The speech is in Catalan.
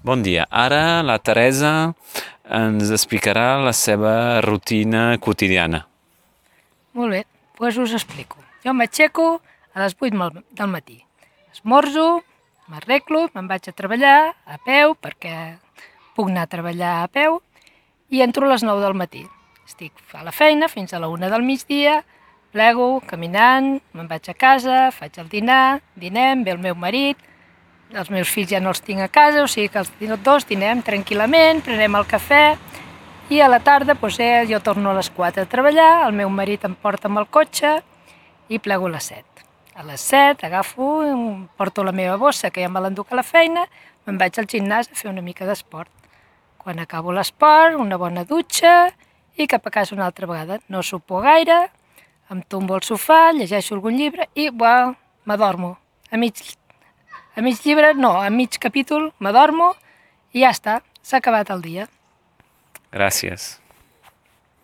Bon dia. Ara la Teresa ens explicarà la seva rutina quotidiana. Molt bé, doncs us explico. Jo m'aixeco a les 8 del matí. Esmorzo, m'arreglo, me'n vaig a treballar a peu, perquè puc anar a treballar a peu, i entro a les 9 del matí. Estic a la feina fins a la 1 del migdia, plego, caminant, me'n vaig a casa, faig el dinar, dinem, ve el meu marit, els meus fills ja no els tinc a casa, o sigui que els dos dinem tranquil·lament, prenem el cafè, i a la tarda jo torno a les 4 a treballar, el meu marit em porta amb el cotxe i plego a les 7. A les 7 agafo, porto la meva bossa, que ja me l'enduc a la feina, me'n vaig al gimnàs a fer una mica d'esport. Quan acabo l'esport, una bona dutxa i cap a casa una altra vegada. No sopo gaire, em tombo al sofà, llegeixo algun llibre i m'adormo. A mig llibre, no, a mig capítol m'adormo i ja està, s'ha acabat el dia. Gràcies.